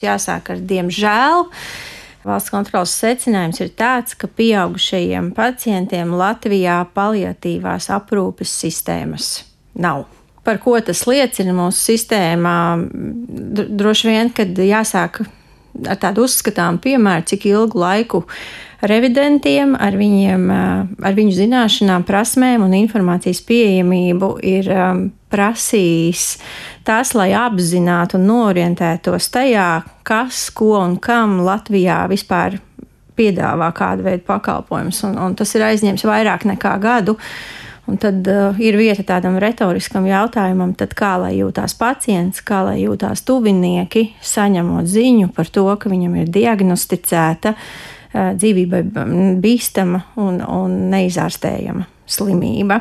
Jāsāk ar diemžēl. Valsts kontroles secinājums ir tāds, ka pieaugušajiem pacientiem Latvijā paliatīvās aprūpes sistēmas nav. Par ko tas liecina mūsu sistēmā? Droši vien, kad jāsāk ar tādu uzskatāmu piemēru, cik ilgu laiku revidentiem ar viņu zināšanām, prasmēm un informācijas pieejamību ir prasījis tas, lai apzinātu un norientētos tajā, kas, ko un kam Latvijā vispār piedāvā kādu veidu pakalpojumus. Un tas ir aizņems vairāk nekā gadu. Un tad ir vieta tādam retoriskam jautājumam, tad kā lai jūtās pacients, kā lai jūtās tuvinieki, saņemot ziņu par to, ka viņam ir diagnosticēta dzīvībai bīstama un neizārstējama slimība.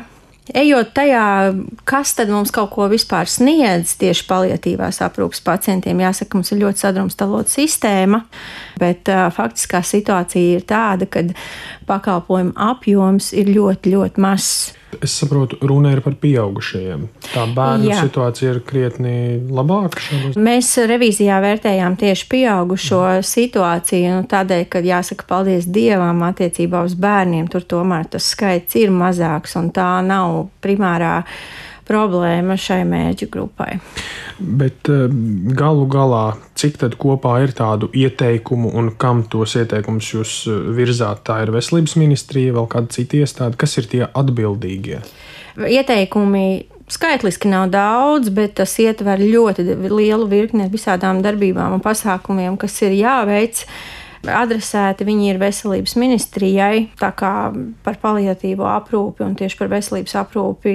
Ejot tajā, kas tad mums kaut ko vispār sniedz tieši paliatīvās aprūpes pacientiem, jāsaka, mums ir ļoti sadrumstalota sistēma, bet faktiskā situācija ir tāda, ka pakalpojumu apjoms ir ļoti, ļoti mazs. Es saprotu, runa ir par pieaugušajiem. Tā bērnu situācija ir krietni labāka. Mēs revīzijā vērtējām tieši pieaugušo situāciju, tādēļ, ka jāsaka paldies Dievam attiecībā uz bērniem, tur tomēr tas skaits ir mazāks un tā nav primārā problēma šai mērķu grupai. Bet galu galā, cik tad kopā ir tādu ieteikumu un kam tos ieteikumus jūs virzāt? Tā ir Veselības ministrija, vēl kāda cita iestāde? Kas ir tie atbildīgie? Ieteikumi skaitliski nav daudz, bet tas ietver ļoti lielu virkni visādām darbībām un pasākumiem, kas ir jāveic. Adresēti viņi ir Veselības ministrijai, tā kā par paliatīvo aprūpi un tieši par veselības aprūpi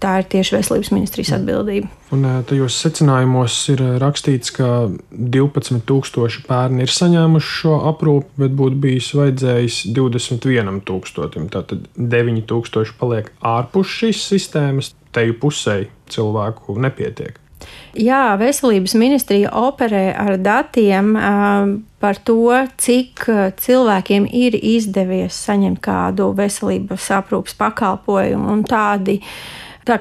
tā ir tieši Veselības ministrijas atbildība. Un tajos secinājumos ir rakstīts, ka 12,000 bērni ir saņēmuši šo aprūpi, bet būtu bijis vajadzējis 21,000. Tātad 9,000 paliek ārpus šīs sistēmas, teju pusē cilvēku nepietiek. Jā, Veselības ministrija operē ar datiem par to, cik cilvēkiem ir izdevies saņemt kādu veselības aprūpes pakalpojumu, un tā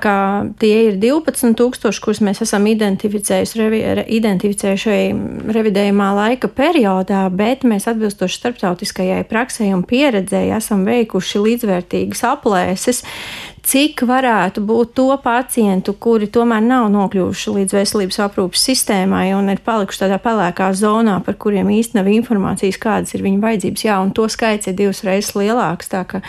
kā tie ir 12,000, kurus mēs esam identificējuši revidējumā laika periodā, bet mēs atbilstoši starptautiskajai praksei un pieredzēji esam veikuši līdzvērtīgas aplēses, cik varētu būt to pacientu, kuri tomēr nav nokļuvuši līdz veselības aprūpes sistēmai un ir palikuši tādā pelēkā zonā, par kuriem īsti nav informācijas, kādas ir viņu vajadzības. Jā, un to skaits ir 2 reizes lielāks, tā ka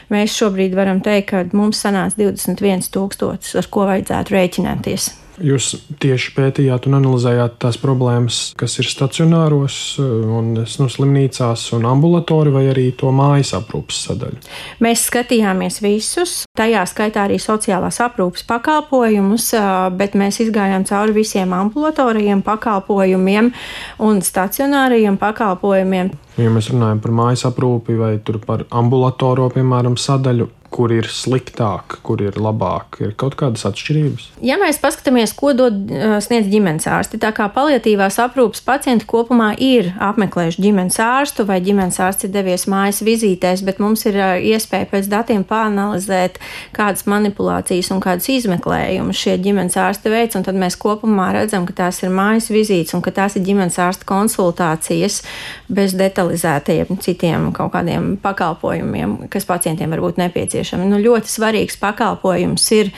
mēs šobrīd varam teikt, ka mums sanāca 21,000, ar ko vajadzētu rēķināties. Jūs tieši pētījāt un analizējāt tās problēmas, kas ir stacionāros un slimnīcās un ambulatori vai arī to mājas aprūpes sadaļu? Mēs skatījāmies visus, tajā skaitā arī sociālās aprūpes pakalpojumus, bet mēs izgājām cauri visiem ambulatorajiem pakalpojumiem un stacionārajiem pakalpojumiem. Ja mēs runājam par mājas aprūpi vai par ambulatoro, piemēram, sadaļu, kur ir sliktāk, kur ir labāk, ir kaut kādas atšķirības? Ja mēs paskatāmies, ko sniedz ģimenes ārsti, tā kā paliatīvās aprūpes pacienti kopumā ir apmeklējuši ģimenes ārstu vai ģimenes ārsts ir devies mājas vizītēs, bet mums ir iespēja pēc datiem pāranalizēt, kādas manipulācijas un kādas izmeklējumus šie ģimenes ārsti veic, un tad mēs kopumā redzam, ka tās ir mājas vizītes un ka tās ir ģimenes ārsta konsultācijas bez detalizētajiem citiem kaut kādiem pakalpojumiem, kas pacientiem var būt nepieciešami. Ļoti svarīgs pakalpojums ir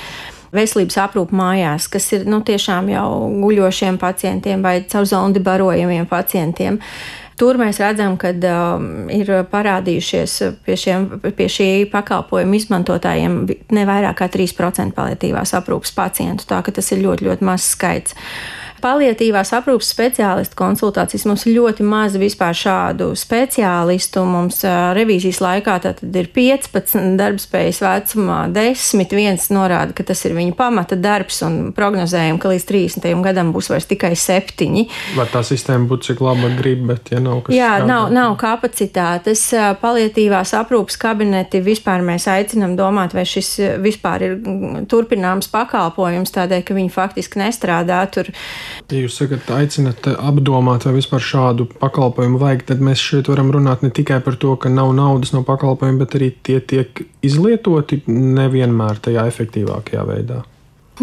veselības aprūpe mājās, kas ir tiešām jau guļošiem pacientiem vai caur zondi barojamiem pacientiem. Tur mēs redzam, ka ir parādījušies pie šī pakalpojuma izmantotājiem ne vairāk kā 3% paliatīvās aprūpes pacientu, tā ka tas ir ļoti, ļoti mazs skaits. Paliatīvās aprūpes speciālistu konsultācijas mums ir ļoti maz vispār šādu speciālistu. Mums revīzijas laikā tātad ir 15 darbspējas vecumā, 10, viens norāda, ka tas ir viņa pamata darbs un prognozējam, ka līdz 30. gadam būs vairs tikai 7. Var tā sistēma būt cik laba grib, bet ja nav kas nav kapacitātes. Paliatīvās aprūpes kabineti vispār mēs aicinam domāt, vai šis vispār ir turpināms pakalpojums, tādēļ, ka viņi faktiski nestrādā tur. Ja jūs sakat, aicinat apdomāt, vai vispār šādu pakalpojumu vajag, tad mēs šeit varam runāt ne tikai par to, ka nav naudas no pakalpojuma, bet arī tie tiek izlietoti nevienmēr tajā efektīvākajā veidā.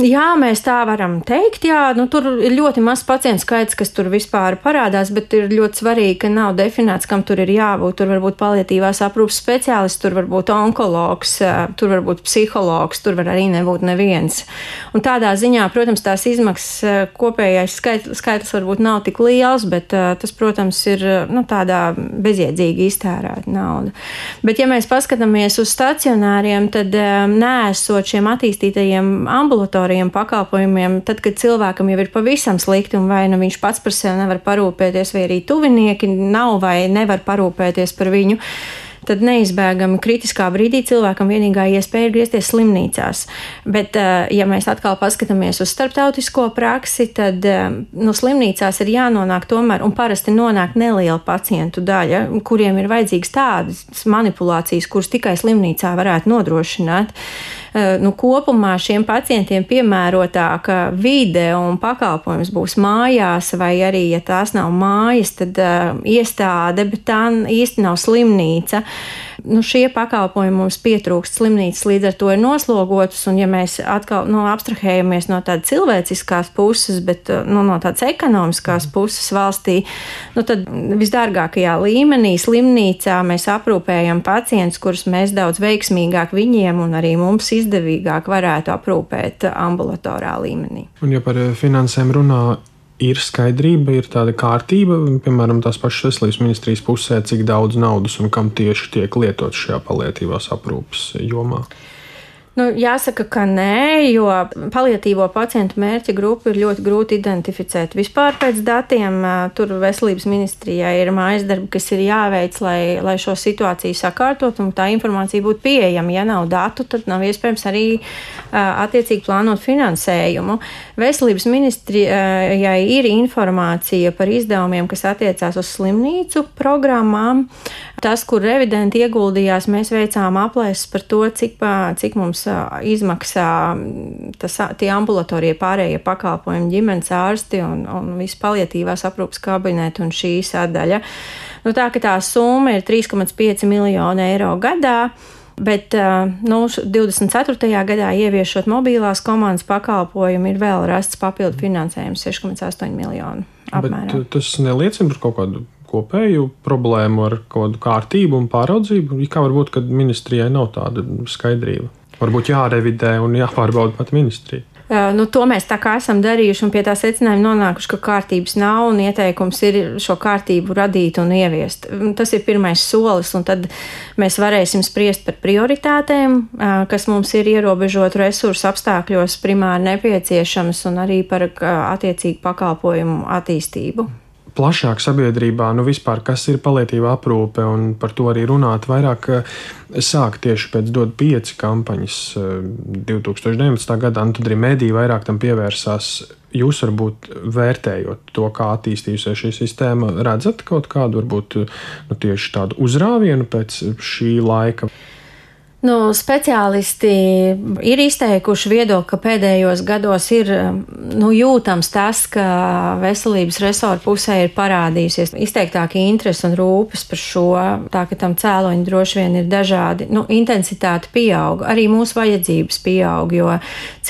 Jā, mēs tā varam teikt. Jā, tur ir ļoti maz pacientu skaits, kas tur vispār parādās, bet ir ļoti svarīgi, ka nav definēts, kam tur ir jābūt. Tur var būt paliatīvās aprūpes speciālists, tur var būt onkologs, tur var būt psihologs, tur var arī nebūt neviens. Un tādā ziņā, protams, tās izmaksas kopējais skaitlis varbūt nav tik liels, bet tas, protams, ir tādā bezjēdzīgi iztērēta nauda. Bet, ja mēs paskatāmies uz stacionāriem, tad neesot šiem attīstītajiem ambulatoriem pakalpojumiem, tad, kad cilvēkam jau ir pavisam slikti un vai viņš pats par sevi nevar parūpēties, vai arī tuvinieki nav vai nevar parūpēties par viņu, tad neizbēgami kritiskā brīdī cilvēkam vienīgā iespēja ir griezties slimnīcās. Bet, ja mēs atkal paskatāmies uz starptautisko praksi, tad slimnīcās ir jānonāk tomēr, un parasti nonāk neliela pacientu daļa, kuriem ir vajadzīgas tādas manipulācijas, kuras tikai slimnīcā varētu nodrošināt. Kopumā šiem pacientiem piemērotāka vide un pakalpojums būs mājās, vai arī, ja tās nav mājas, tad iestāde, bet tā īsti nav slimnīca. Šie pakalpojumi mums pietrūkst, slimnīcas līdz ar to ir noslogotas, un ja mēs atkal abstrahējamies no tādas cilvēciskās puses, bet no tādas ekonomiskās puses valstī, tad visdārgākajā līmenī slimnīcā mēs aprūpējam pacientus, kurus mēs daudz veiksmīgāk viņiem un arī mums izdevīgāk varētu aprūpēt ambulatorā līmenī. Un ja par finansēm runā, ir skaidrība, ir tāda kārtība, piemēram, tās pašas veselības ministrijas pusē, cik daudz naudas un kam tieši tiek lietots šajā paliatīvās aprūpes jomā? Jāsaka, ka nē, jo paliatīvo pacientu mērķa grupu ir ļoti grūti identificēt. Vispār pēc datiem tur veselības ministrijai ir mājas darbi, kas ir jāveic, lai šo situāciju sakārtot un tā informācija būtu pieejama. Ja nav datu, tad nav iespējams arī attiecīgi plānot finansējumu. Veselības ministrijai ir informācija par izdevumiem, kas attiecās uz slimnīcu programmām. Tas, kur revidenti ieguldījās, mēs veicām aplēses par to, cik mums izmaksā tie ambulatorie pārējie pakalpojumi, ģimenes ārsti un visi paliatīvās aprūpes kabineti un šī sadaļa. Tā summa ir 3,5 miljoni eiro gadā. Bet 24. gadā ieviešot mobilās komandas pakalpojumu ir vēl rasts papildu finansējums 6,8 miljonu apmērā. Bet tas neliecina par kaut kādu kopēju problēmu ar kaut kādu kārtību un pāraudzību? Kā var būt, kad ministrijai nav tāda skaidrība? Varbūt jārevidē un jāpārbauda pat ministrija. To mēs tā kā esam darījuši un pie tā secinājuma nonākuši, ka kārtības nav un ieteikums ir šo kārtību radīt un ieviest. Tas ir pirmais solis, un tad mēs varēsim spriest par prioritātēm, kas mums ir ierobežotu resursu apstākļos primāri nepieciešams, un arī par attiecīgu pakalpojumu attīstību. Plašāk sabiedrībā, vispār, kas ir paliatīvā aprūpe, un par to arī runāt vairāk sāk tieši pēc DOT 5 kampaņas 2019. gadā, un tad arī mediji vairāk tam pievērsās. Jūs varbūt vērtējot to, kā attīstījusies šī sistēma, redzat kaut kādu varbūt tieši tādu uzrāvienu pēc šī laika? Speciālisti ir izteikuši viedokli, ka pēdējos gados ir jūtams tas, ka veselības resorta pusē ir parādījusies izteiktāka interese un rūpes par šo, tā ka tam cēloņi droši vien ir dažādi. Intensitāte pieaug, arī mūsu vajadzības pieaug, jo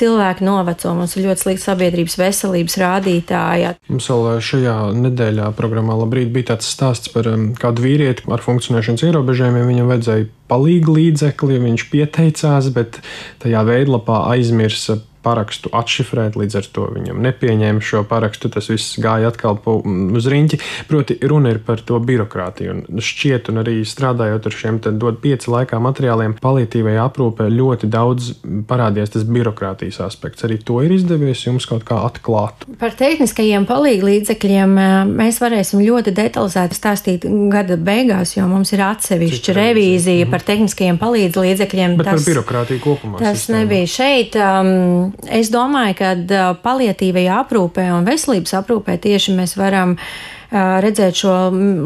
cilvēki noveco, mums ir ļoti slikti sabiedrības veselības rādītāji. Mums vēl šajā nedēļā programmā Labrīt bija tāds stāsts par kādu vīrieti ar funkcionēšanas ierobežojumiem. Viņam vajadzēja palīgu līdzekli, viņš pieteicās, bet tajā veidlapā aizmirsa parakstu atšifrēt, līdz ar to viņam nepieņēma šo parakstu, tas viss gāja atkal uz riņķi. Proti, runa ir par to birokrātiju, un šķiet, un arī strādājot ar šiem DOT 5 laikā materiāliem, paliatīvajā aprūpē ļoti daudz parādījās tas birokrātijas aspekts. Arī to ir izdevies jums kaut kā atklāt? Par tehniskajiem palīgu līdzekļiem mēs varēsim ļoti detalizēti stāstīt gada beigās, jo mums ir atsevišķa revīzija par tehniskajiem palīgu līdzekļiem. Bet par birokrātiju kopumā? Tas sistēmā nebija šeit. Es domāju, ka paliatīvajā aprūpē un veselības aprūpē tieši mēs varam redzēt šo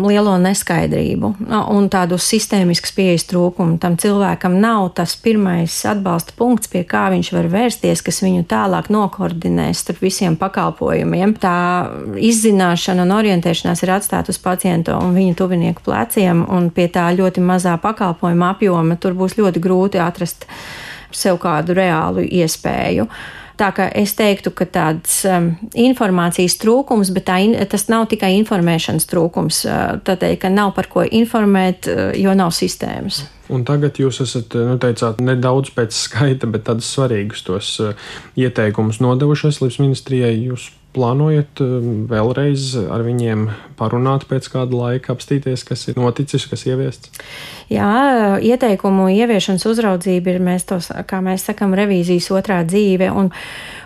lielo neskaidrību un tādu sistēmiskas pieejas trūkumu. Tam cilvēkam nav tas pirmais atbalsta punkts, pie kā viņš var vērsties, kas viņu tālāk nokoordinēs starp visiem pakalpojumiem. Tā izzināšana un orientēšanās ir atstāta uz pacientu un viņa tuvinieku pleciem, un pie tā ļoti mazā pakalpojuma apjoma tur būs ļoti grūti atrast sev kādu reālu iespēju. Tā kā es teiktu, ka tāds informācijas trūkums, bet tas nav tikai informēšanas trūkums. Tādēļ, ka nav par ko informēt, jo nav sistēmas. Un tagad jūs esat, teicāt, nedaudz pēc skaita, bet tādus svarīgus tos ieteikumus nodevuši Veselības ministrijai. Jūs plānojat vēlreiz ar viņiem parunāt pēc kāda laika, apstīties, kas ir noticis, kas ieviests? Jā, ieteikumu ieviešanas uzraudzība ir, kā mēs sakam, revīzijas otrā dzīve, un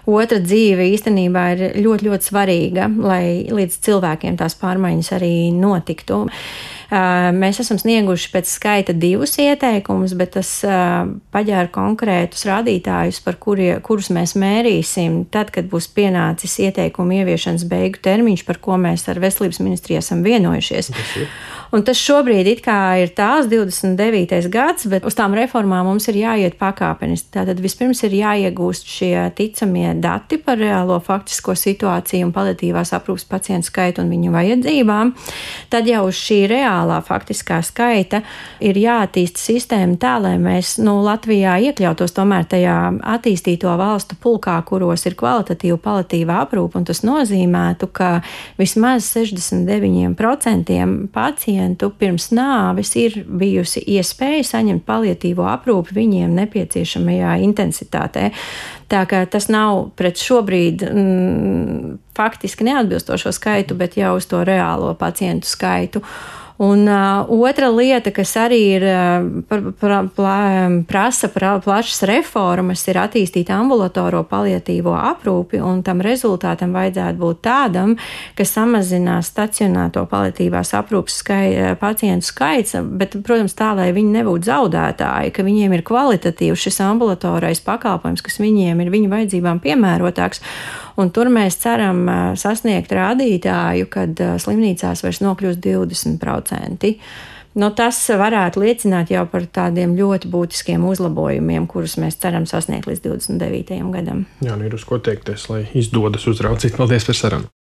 otra dzīve īstenībā ir ļoti, ļoti svarīga, lai līdz cilvēkiem tās pārmaiņas arī notiktu. Mēs esam snieguši pēc skaita 2 ieteikumus, bet tas paģēra konkrētus rādītājus, kurus mēs mērīsim tad, kad būs pienācis ieteikumu ieviešanas beigu termiņš, par ko mēs ar Veselības ministriju esam vienojušies. Un tas šobrīd it kā ir tās 29. gads, bet uz tām reformām mums ir jāiet pakāpeniski. Tātad vispirms ir jāiegūst šie ticamie dati par reālo faktisko situāciju un paliatīvās aprūpes pacientu skaitu un viņu vajadzībām. Tad jau uz šī reālā faktiskā skaita ir jāattīsta sistēma tā, lai mēs Latvijā iekļautos tomēr tajā attīstīto valstu pulkā, kuros ir kvalitatīva paliatīvā aprūpe, un tas nozīmētu, ka vismaz 69% pacientu pirms nāves ir bijusi iespēja saņemt paliatīvo aprūpi viņiem nepieciešamajā intensitātē. Tā kā tas nav pret šobrīd faktiski neatbilstošo skaitu, bet jau uz to reālo pacientu skaitu. Un otra lieta, kas arī ir prasa plašas reformas, ir attīstīt ambulatoro paliatīvo aprūpi, un tam rezultātam vajadzētu būt tādam, ka samazinās stacionēto paliatīvās aprūpes pacientu skaits, bet, protams, tā, lai viņi nebūtu zaudētāji, ka viņiem ir kvalitatīvs šis ambulatorais pakalpojums, kas viņiem ir viņu vajadzībām piemērotāks. Un tur mēs ceram sasniegt rādītāju, kad slimnīcās vairs nokļūst 20%. Tas varētu liecināt jau par tādiem ļoti būtiskiem uzlabojumiem, kurus mēs ceram sasniegt līdz 29. gadam. Jā, ir uz ko teikties, lai izdodas uzraudzīt. Paldies par sarunu!